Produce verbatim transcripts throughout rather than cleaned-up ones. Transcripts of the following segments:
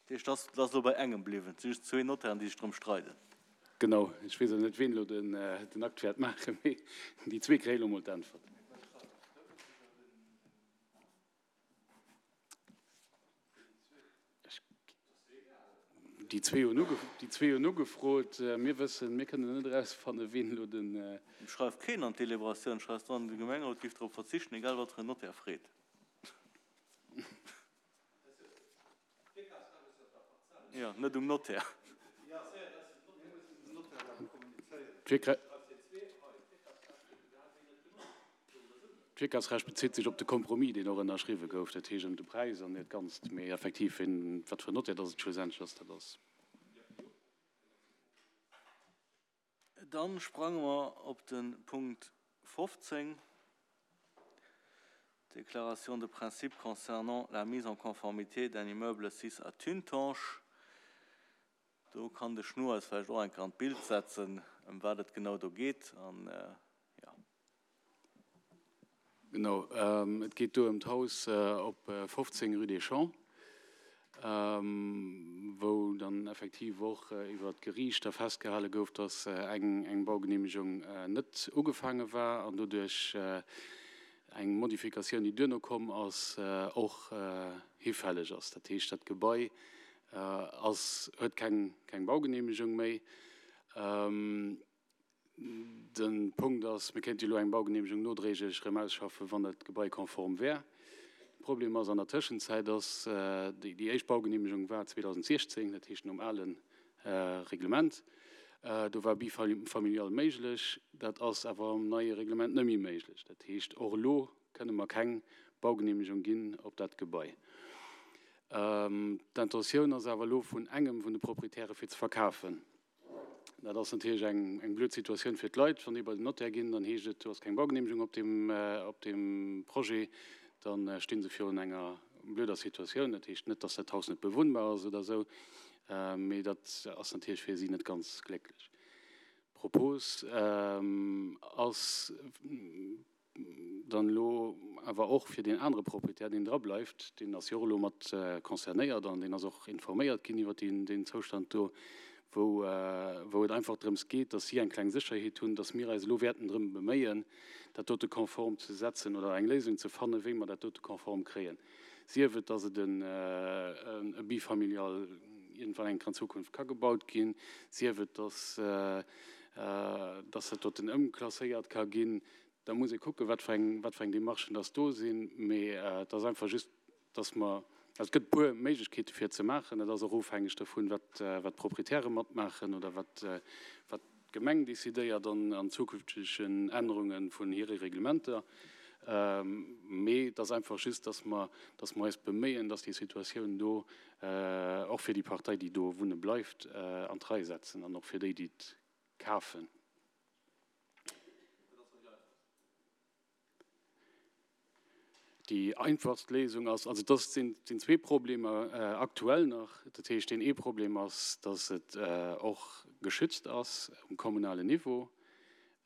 Dat heescht, dat ass elo bei engem bliwwen. Et si just zwee Notairen, déi sech drëm streiden. Genau. Ech weess och net, ween elo den Akt wäert maachen, mee déi zwee kréie elo mol d'Äntwert. Déi zwee hunn uge, déi zwee hunn ugefrot. Mir wëssen, mir kënnen net erausfannen, ween elo den. Et schreift keen an d'Deliberatioun, schreift dran, de Gemengerot géif drop verzichten, egal wat fir en Notaire freet. Jo, net um Notaire. D'Virkafsrecht bezitt sech op de Compromis, deen och ënnerschriwwe gouf, dat heescht ëm de Präis an dat Ganzt. Mee effektiv, wien, wat fir en Notaire dass et schlussendlech ass, dat ass. Dann sprange mer op de Punkt fofzéng, Déclaration de principe concernant la mise en conformité d'un immeuble sis à Tuntange. Do kann de Schnoor eis vläicht och eng Kéier an d'Bild setzen, ëm wat et genau do geet. An, jo. Genau, et geet do ëm d'Haus op fofzéng rue des Champs, wou dann effektiv och iwwer d'Geriicht da festgehale gouf, dass eng Baugenehmegung net ugefaange war an doduerch eng Modifikatioun, déi duerno komm ass, och hifälleg ass. Dat heescht, dat Gebai ass, huet keng, keng Baugenehmegung méi. De Punkt ass, mir kéinte jo elo eng Baugenehmegung nodréiglech erëm ausschaffen, wann dat Gebai konform wär. De Problem ass an der Tëschenzäit, dass déi, déi éischt Baugenehmegung war zweedausentsiechzéng, dat heescht nom ale Reglement. Do war bifamilial méiglech, dat ass awer am neie Reglement net méi méiglech. Dat heescht, och elo kënne mer keng Baugenehmegung ginn op dat Gebai. D'Intentioun ass awer elo vun engem vun de Proprietäre fir ze verkafen. Dat ass natierlech eng eng blöd Situatioun fir d'Leit. Wann déi bei den Notaire ginn, dann heescht et, do ass keng Baugenehmegung op deem op deem Projet. Da sti se virun enger blöder Situatioun. Dat heescht net, dass dat Haus net bewunnbar ass oder esou, mee dat ass natierlech fir si net ganz glécklech. D'Propos ass dann elo awer och fir deen anere Proprietär, deen dra bleift, deen ass jo och elo mat concernéiert an deen ass och informéiert ginn iwwert deen Zoustand do, wou wou et einfach drëms geet, dass si eng kleng Sécherheet hunn, dass mir eis elo wäerten drëm beméien, dat dote konform ze setzen oder eng Léisung ze fannen, wéi mer dat dote konform kréien, sief et, dass et e Bifamilial iergendwann eng Kéier an Zukunft ka gebaut ginn, sief et, dass dass dat doten ëmklasséiert ka ginn. Da muss ee kucken, wat fir eng, wat fir eng Démarchen dass do sinn. Mee et ass einfach just, dass mer, also et gëtt e puer Méiglechkeete fir et ze maachen. Dat ass och ofhängeg dovun, wat, wat d'Proprietäre matmaachen oder wat, wat d'Gemeng décidéiert an, an zukünftegen Ännerunge vun hire Reglementer. Mee et ass einfach just, dass mer, dass mer eis beméien, dass déi Situatioun do och fir déi Partei, déi do wunne bleift, an d'Rei setzen an och fir déi, déi et kafen. Déi einfachst Léisung ass, also dass sinn zwee Problemer aktuell nach. Dat heescht, deen ee Problem ass, dass et och geschützt ass um kommunalen Niveau.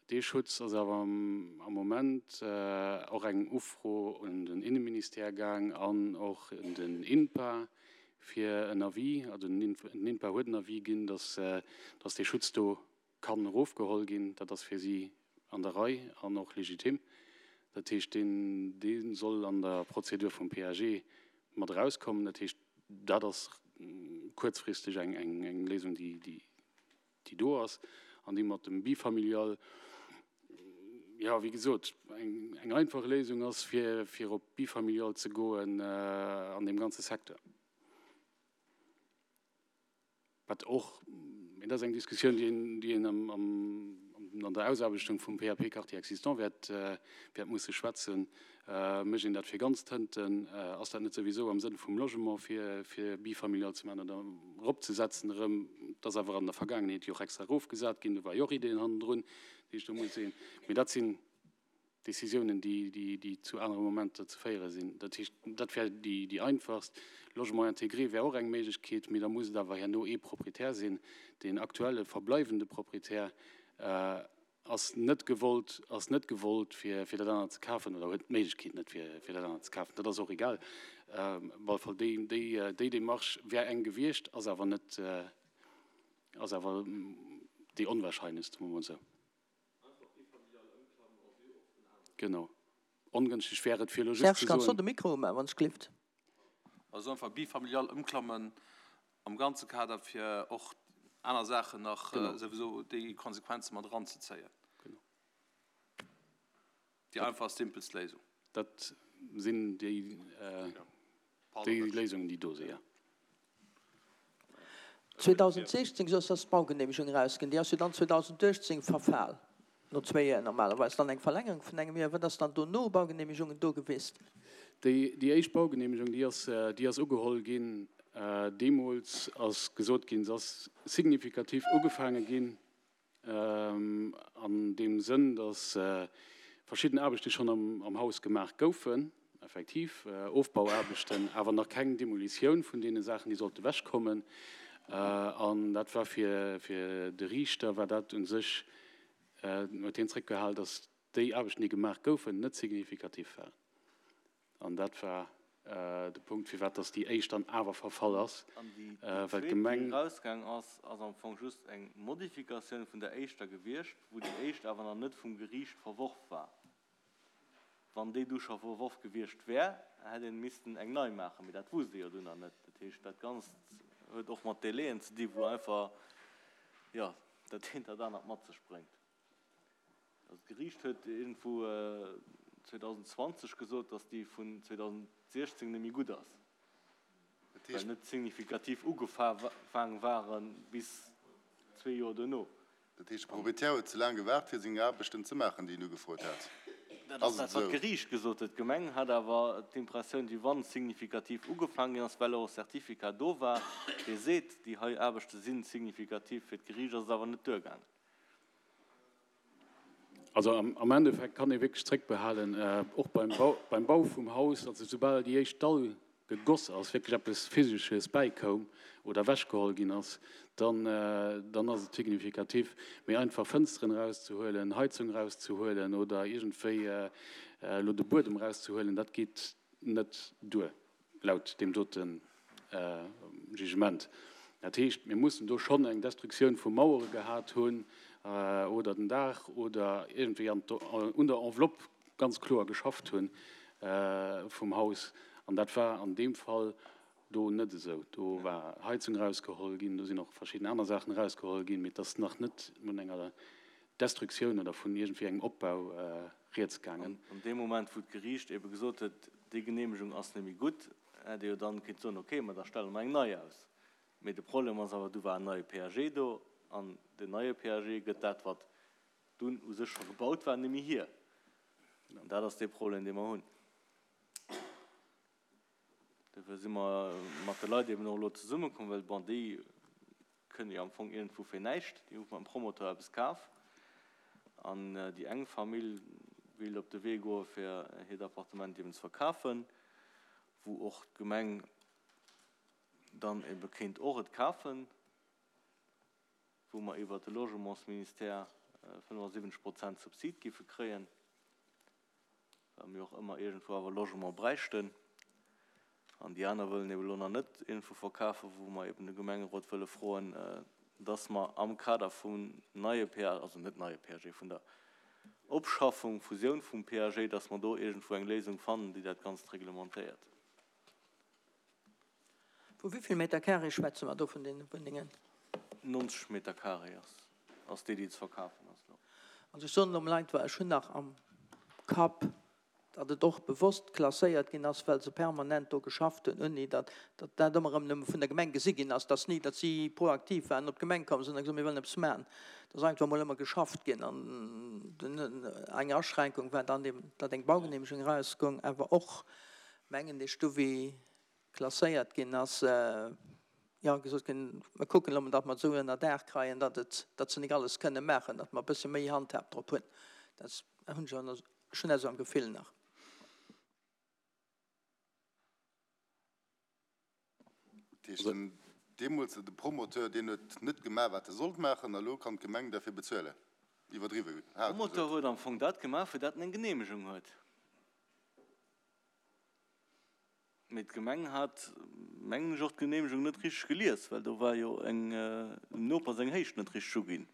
Dee Schutz ass awer am Moment och eng Ufro un den Inneministère gaang an och un den INPA fir en Avis. Also den INPA huet en Avis ginn, dass dee Schutz do kann erofgeholl ginn. Dat ass fir si an der Rei an och legitim. Dat heescht, deen, dee soll an der Prozedur vum P A G mat erauskommen. Dat heescht, dat ass kuerzfristeg eng, eng, eng Léisung, déi, déi, déi do ass an déi mat dem Bifamilial, jo, wéi gesot, eng, eng einfach Léisung ass, fir, fir op Bifamilial ze goen an deem ganze Secteur. Wat och, mee dat ass eng Diskussioun, déi een, déi een am, am, an der Ausaarbechtung vum P A P Quartier existant wäert, wäert musse schwätzen. Mécht een dat fir ganz Tënten? Ass dat net souwisou am Sënn vum Logement, fir, fir bifamilial ze maachen oder eropzesetzen erëm? Et ass awer an der Vergaangenheet jo och extra erofgesat ginn. Do war jo och Ideen hannendrun, déi ech do muss sinn. Mee dat sinn Décisiounen, déi zu anere Momenter ze féiere sinn. Dat heescht, dat wär déi einfachst. Logement intégré wär och eng Méiglechkeet, mee da muss et awer herno ee Proprietär sinn, deen aktuelle verbleiwende Proprietär, ass net gewollt, ass net gewollt fir, fir dat anert ze kafen oder huet d'Méiglechkeet net fir, fir dat anert ze kafen. Dat ass och egal. Ähm, op alle Fall déi, déi, déi Demarche wär eng gewiescht, ass awer net, äh, ass awer déi onwahrscheinlechst, soe mer mol esou. Genau. Ongënschteg wär et fir elo just Serge, ze kanns du soen. de Mikro umaachen, wann s gelift? Also einfach bifamilial ëmklammen am ganze Kader fir och aner Saachen nach Genau. äh, souwisou déi Konsequenze mat eranzezéien. Genau. Déi einfach simpelst Léisung. Dat sinn déi, äh, Pardon, déi Léisungen, déi do sinn, ja. zweedausendsechzéng ass ass d'Baugeneemegung erausginn. Déi ass jo dann zweedausenduechtzéng verfall. No zwee Joer normalerweis. Dann eng Verlängerung vun engem Joer. Wat ass dann dono Baugeneemegungen do gewiescht? Déi, déi éischt Baugeneemegung, déi ass, äh, déi ass ugeholl ginn. Äh, deemools ass gesot ginn, se ass signifikativ ugefaange ginn. Ähm, an deem Sënn, dass, äh, verschidden Aarbechte schonn am, am Haus gemaach goufen, effektiv, äh, Ofbauaarbechten, awer nach keng Demolitioun vun deene Saachen, déi sollte wechkommen. Äh, an dat war fir, fir de Riichter, war dat u sech, äh, huet hien zréckgehalen, dass déi Aarbechten, déi gemaach goufen, net signifikativ waren. An dat war, äh, de Punkt, firwat dass déi éischt dann awer verfall ass. An déi, Äh, déi well zweet, déi d'Gemeng erausgaang ass, ass am Fong just eng Modifikatioun vun der éischter gewiescht, wou déi éischt awer nach net vum Geriicht verworf war. Wann déi du scho verworf gewiescht wär, hätt een missten eng nei maachen, mee dat wusst ee jo dunn nach net. Dat heescht, dat Ganzt huet och mat Delaien ze dinn, wou einfach, ja, dat eent dat anert mat sech bréngt. Also d'Geriicht huet iergendwou, äh, zweedausendzwanzeg gesot, dass déi vun zweedausendsechzéng net méi gutt ass. Dat Well heescht net signifikativ ugefaange waren bis zwee Joer duerno. Dat heescht, de Proprietär huet ze laang gewaart, fir seng Aarbechten ze maachen, déi en ugefrot hat. Dat ass Ass et dat, wat esou? d'Geriicht gesot huet. D'Gemeng hat awer d'Impressioun, déi wann signifikativ ugefaangen ass, well och e Certificat do war, dee seet, déi hei Aarbechte sinn signifikativ, fir d'Geriicht ass et awer net duergaangen. Also am, am Endeffekt kann ee wierklech zréckbehalen, äh, och beim Bau, beim Bau vum Haus, also soubal déi éischt Dall gegoss ass, wierklech eppes Physesches bäikoum oder ewechgeholl ginn ass, dann, äh, dann ass et signifikativ. Mee einfach Fënsteren erauszehuelen, Heizung erauszehuelen oder iergendwéi, äh, äh, elo de Buedem erauszehuelen, dat geet net duer, laut deem doten, äh, Jugement. Dat heescht, mir mussen do schonn eng Destruktioun vu Mauere gehat hunn, äh, oder den Daach oder iergendwéi an der, un der Enveloppe ganz kloer geschafft hunn, äh, vum Haus. An dat war an deem Fall do net esou. Do war Heizung erausgeholl ginn, do sinn och verschidden aner Saachen erausgeholl ginn, mee et ass nach net vun enger Destruktioun oder vun iergendwéi engem Opbau, äh, rieds gaangen. An, an deem Moment, wou d'Geriicht ebe gesot huet, déi Geneemegung ass net méi gutt, hätt ee jo dann kéint soen, okay, ma da stelle mer eng nei aus. Mee de Problem ass awer, do war en neie P A G do an den neie P A G gëtt dat, wat dunn u sech scho gebaut war, net méi hier. An dat ass de Problem, dee mer hunn. Dofir si mer mat de Leit eben och elo zesummekomm, well bon, déi kënne jo am Fong iergendwou fir näischt, déi hu beim Promoteur eppes kaf. An, äh, déi eng Famill wéilt op de Wee goe fir hiert Appartement eben ze verkafen, wou och d'Gemeng dann ebe kéint och et kafen, wou mer iwwer de Logementsministère, äh, fënnefasiwwenzeg Prozent Subsid géife kréien, well mir och ëmmer iergendwou awer Logement bräichten. An déi aner wëllen eben elo nach net iergendwou verkafen, wou mer eben de Gemengerot wëlle froen, äh, dass mer am Kader vum neie P A G, also net neie P A G, vun der Opschaffung, Fusioun vum P A G, dass mer do iergendwou eng Léisung fannen, déi dat Ganzt reglementéiert. Vu wéi vill Meter Carré schwätze mer do vun den Wunnengen? Neunzeg Meter Carré ass, ass déi, déi ze verkafen ass. Also ech soen elo einfach, ech hunn nach am Kapp, datt et och bewosst klasséiert ginn ass, well se permanent do geschafft hunn, ouni datt, datt dat ëmmer erëm nëmme vun der Gemeng gesi ginn ass, dass ni, datt si proaktiv waren, op d'Gemeng komm sinn a gesot, mir wëllen eppes maachen. Dat ass einfach mol ëmmer geschafft ginn. An den, eng Aschränkung war dann eben, datt eng Baugeneemegung erausgoung, awer och, mengen ech, du wéi klasséiert ginn ass, äh, ja, gesot ginn, mer kucken elo mol, datt mer et esou ënner Daach kréien, datt et, datt se net alles kënne maachen, datt mer e bësse méi Handhab drop hunn. Dat hunn ech schonn, schonn esou am Gefill nach. Dat heescht, den, deemools de Promoteur, deen huet net gemaach, wat e sollt maachen, a lo kann d'Gemeng dofir bezuelen. iwwerdriwwe, haart gesot. Promoteur huet am Fong dat gemaach, fir dat en eng Geneemegung huet. Mee d'Gemeng hat, mengen ech, och d'Geneemegung net richteg gelies, well do war jo eng, dem Noper seng Héicht net richteg uginn.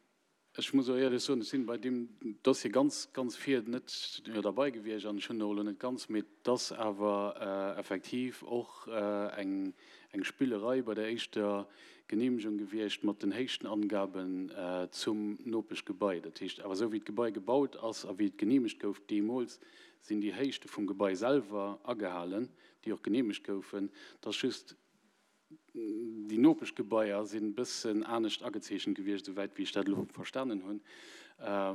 Ech muss och éierlech soen, ech sinn bei deem Dossier ganz, ganz vir net derbei gewiescht an ech hunn och elo net ganz, mee et ass awer effektiv och eng, eng Spillerei bei der éischter Geneemegung gewiescht mat den Héichtenangaben zum Nopeschgebai. Dat heescht awer, esou wéi d'Gebai gebaut ass a wéi et geneemegt gouf deemools, sinn déi Héichte vum Gebai selwer agehalen, déi och geneemegt goufen. Et ass just, déi Nopeschgebaier sinn e bëssen anescht agezeechent gewiescht, esouwäit wéi ech dat elo verstanen hunn,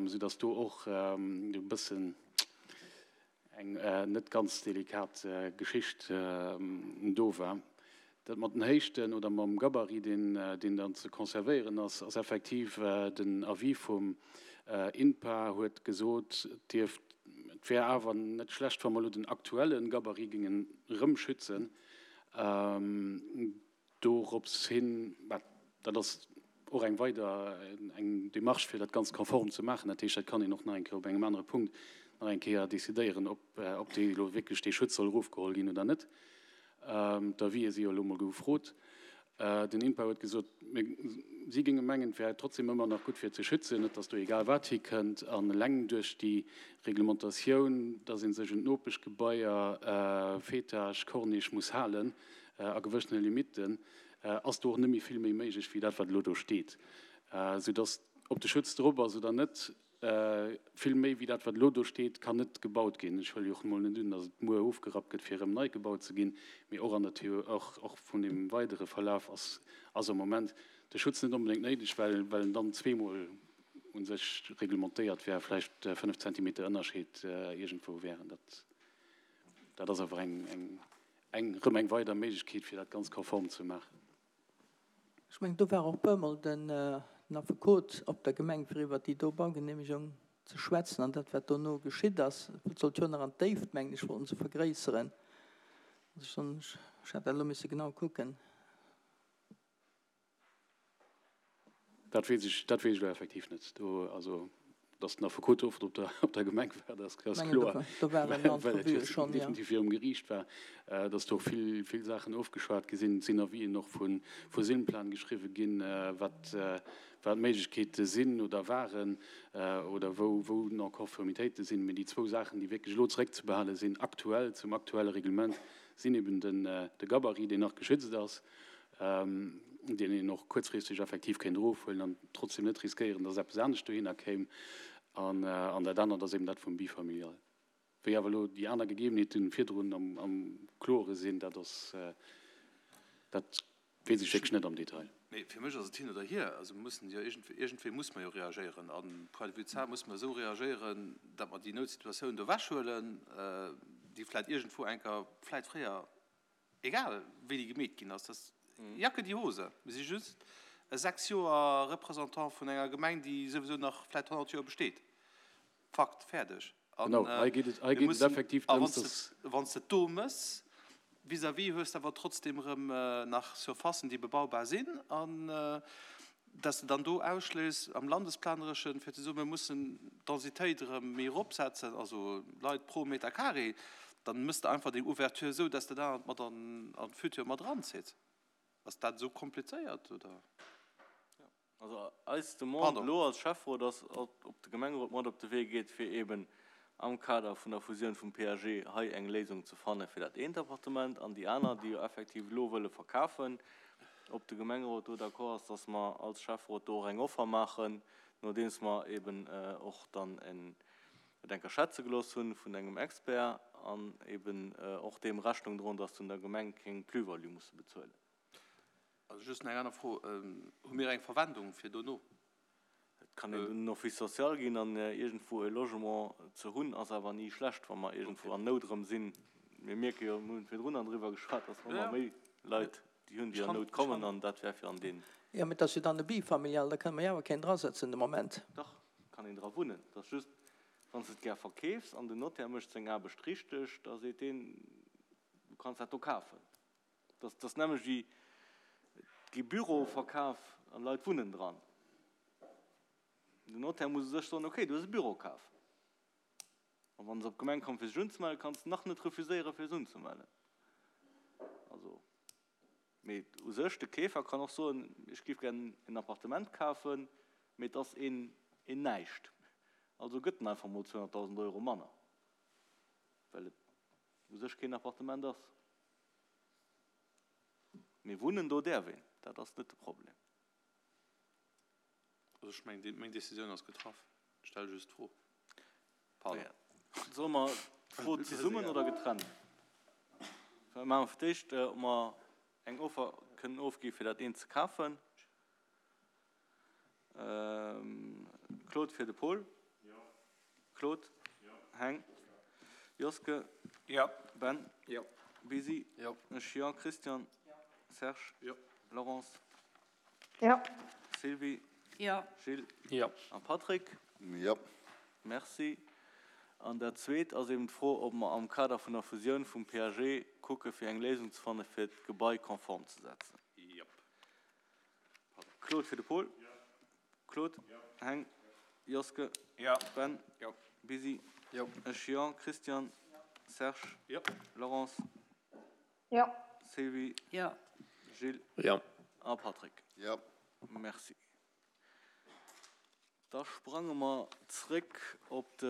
soudass do och e bëssen eng net ganz delikat Geschicht do war. Dat mat den Héichten oder mam Gabarit, deen, deen dann ze conservéieren ass, ass effektiv den Avis vum INPA huet gesot, et dierft, et wär awer net schlecht, wa mer elo den aktuelle Gabarit géingen erëm schützen. Dorops hin, bah, dat ass och eng weider eng Démarche, fir dat Ganzt konform ze maachen. Dat heescht, dat kann een och nach eng Kéier op engem anere Punkt nach eng Kéier decidéieren, ob, ob dee elo wierklech dee Schutz soll erofgeholl ginn oder net. D'Avisë si jo elo mol gefrot. Den INPA huet gesot, mir, si géinge mengen, et wär trotzdem ëmmer nach gutt fir ze schützen, net datt do egal wat hikënnt. An eleng duerch déi Reglementatioun, datt ee sech un d'Nopeschgebaier, Fetage, Corniche muss halen a gewëssene Limitten, ass do och net méi vill méi méiglech wéi dat, wat elo do steet. Soudatt, ob de Schutz drop ass oder net, Vill méi wéi dat, wat elo do steet, kann net gebaut ginn. Ech huele jo och emol net un, datt et muer ofgerappt gëtt, fir erëm nei gebaut ze ginn. Mee och an der Theo-, och, och vun deem weidere Verlaf ass, ass am Moment de Schutz net onbedéngt néideg, well, well en dann zweemol u sech reglementéiert wär, vläicht fënnef Zentimeter Ënnerscheed iergendwou wären. Dat, dat ass awer eng, eng, eng, erëm eng weider Méiglechkeet, fir dat Ganzt konform ze maachen. Ech mengen, do war och puermol den Affekot op der Gemeng, fir iwwert déi do Baugenehmegung ze schwätzen an dat, wat dono geschitt ass. Et sollt jo nach an d'Déift, mengen ech, wollten se vergréisseren. Also ech hätt dat elo misse genau kucken. Dat weess ech, dat weess ech elo effektiv net. Do, also, dass den Affekot oft op der, op der Gemeng war, dat ass kloer, well et jo definitiv virum Geriicht war, dass do och vill, vill Saachen ofgeschwat gi sinn. Et sinn Avisen och vu, vu Sinnplan geschriwwe ginn, wat, wat d'Méiglechkeete sinn oder waren oder wou, wou Non-Conformitéite sinn. Mee déi zwou Saachen, déi wierklech elo zeréckzebehale sinn, aktuell, zum aktuelle Reglement, sinn eben den, de Gabarit, deen nach geschützt ass, deen een och kuerzfristeg effektiv kéint erofhuelen an trotzdem net riskéieren, dass eppes anescht dohinner kéim. An, an dat anert ass eben dat vum Bifamilial. Wéi awer elo déi aner Gegebenheeten virdrun am, am Klore sinn, dat ass, dat weess ech wierklech net am Detail. Mee fir mech ass et hin oder hier. Also mir mussen jo iergendwéi, iergendwéi muss mer jo reagéieren. A point de vue Zar muss mer esou reagéieren, datt mer déi Noutsituatioun do ewechhuelen, déi vläicht iergendwou enker, vläicht fréier, egal wéi déi gemeet ginn ass, dass Jacke die Hose. Mir si just e sechs Joer Représentant vun enger Gemeng, déi souwisou nach vläicht honnert Joer besteet. Fakt, fäerdeg. An Genau, hei geet et, hei mir geet et mussen, effektiv a drëms, wann s de, dass. wann s de et do méchs, vis-à-vis hues de awer trotzdem erëm nach Surfacen, déi bebaubar sinn, an dass de dann do ausschléiss am Landesplanereschen, fir ze soen, mir mussen d'Densitéit erëm méi eropsetzen, also Leit pro Meter carré, dann méchs de einfach deng Ouverture esou, dass de dat mat an an d'Futur mat eranzitt. Ass dat esou komplizéiert, oder? Also eis Demande Pardon. elo als Schäfferot ass, ob de Gemengerot mat op de Wee geet, fir eeben am Kader vun der Fusioun vum P A G hei eng Léisung ze fanne fir dat eent Appartement an déi aner, déi jo effektiv elo wëlle verkafen, ob de Gemengerot do d'accord ass, dass mer als Schäfferot do och eng Offer maachen, nodeems mer eeben och dann en et enker schätze gelooss hunn vun engem Expert an eeben och deem Rechnung droen, dass se un der Gemeng keng Plus-value musse bezuelen. Also just nach eng aner Fro, Hu mir eng Verwendung fir dono? Et kann een un den Office social ginn an iergendwou e Logement ze hunn, ass awer ni schlecht, wa mer iergendwou an Nout erëm sinn. Mir mierke jo, mir hunn virdrun dann driwwer geschwat, dass mer ëmmer méi Leit déi hunn, déi an Nout kommen, an dat wär fir an deen. Jo, mee et ass jo dann e Bifamilial, da kënne mer jo awer keen drasetzen de Moment. Dach, kann een dra wunnen. Et ass just, wann s de et gär verkeefs an den Notaire mécht seng Aarbecht richteg, da seet deen, du kanns dat do kafen. Dat ass nämmlecht wéi, et gi Büroe verkaf an Leit wunnen dran. Den Notaire muss u sech soen, okay, du hues e Büro kaf. A wann se op d'Gemeng kommen, fir sech unzemellen, kanns de nach net refuséieren, fir se unzemellen. Also, mee u sech, de Keefer kann och soen, ech géif gär en Appartement kafen, mee et ass een, een näischt. Also gëtt en einfach mol zweehonnertdausend Euro manner, well et u sech keen Appartement ass. Mee wunnen do däerf een, dat ass net de Problem. Also ech mengen, meng Decisioun ass getraff. Ech stelle just d'Fro. Pardon. Ja. Solle mer d'Fro zesummen oder getrennt? Da maache mer fir d'éischt, ob mer eng Offer kënnen ofgi fir dat eent ze kafen. Claude fir de Paul. Claude. Heng. Joske. Ben. Bisi. Ech jo. Christian. Serge. Laurence. Sylvie. Gilles. A Patrick. Merci. An dat Zweet ass eben d'Fro, ob mer am Kader vun der Fusioun vum P A G kucke fir eng Léisung ze fanne fir d'Gebai konform ze setzen. Claude fir de Paul. Claude. Heng. Joske. Ben. Bisi. Ech jo. Christian. Serge. Laurence. Sylvie. Gilles. A Patrick. Merci. Da sprange mer zréck op de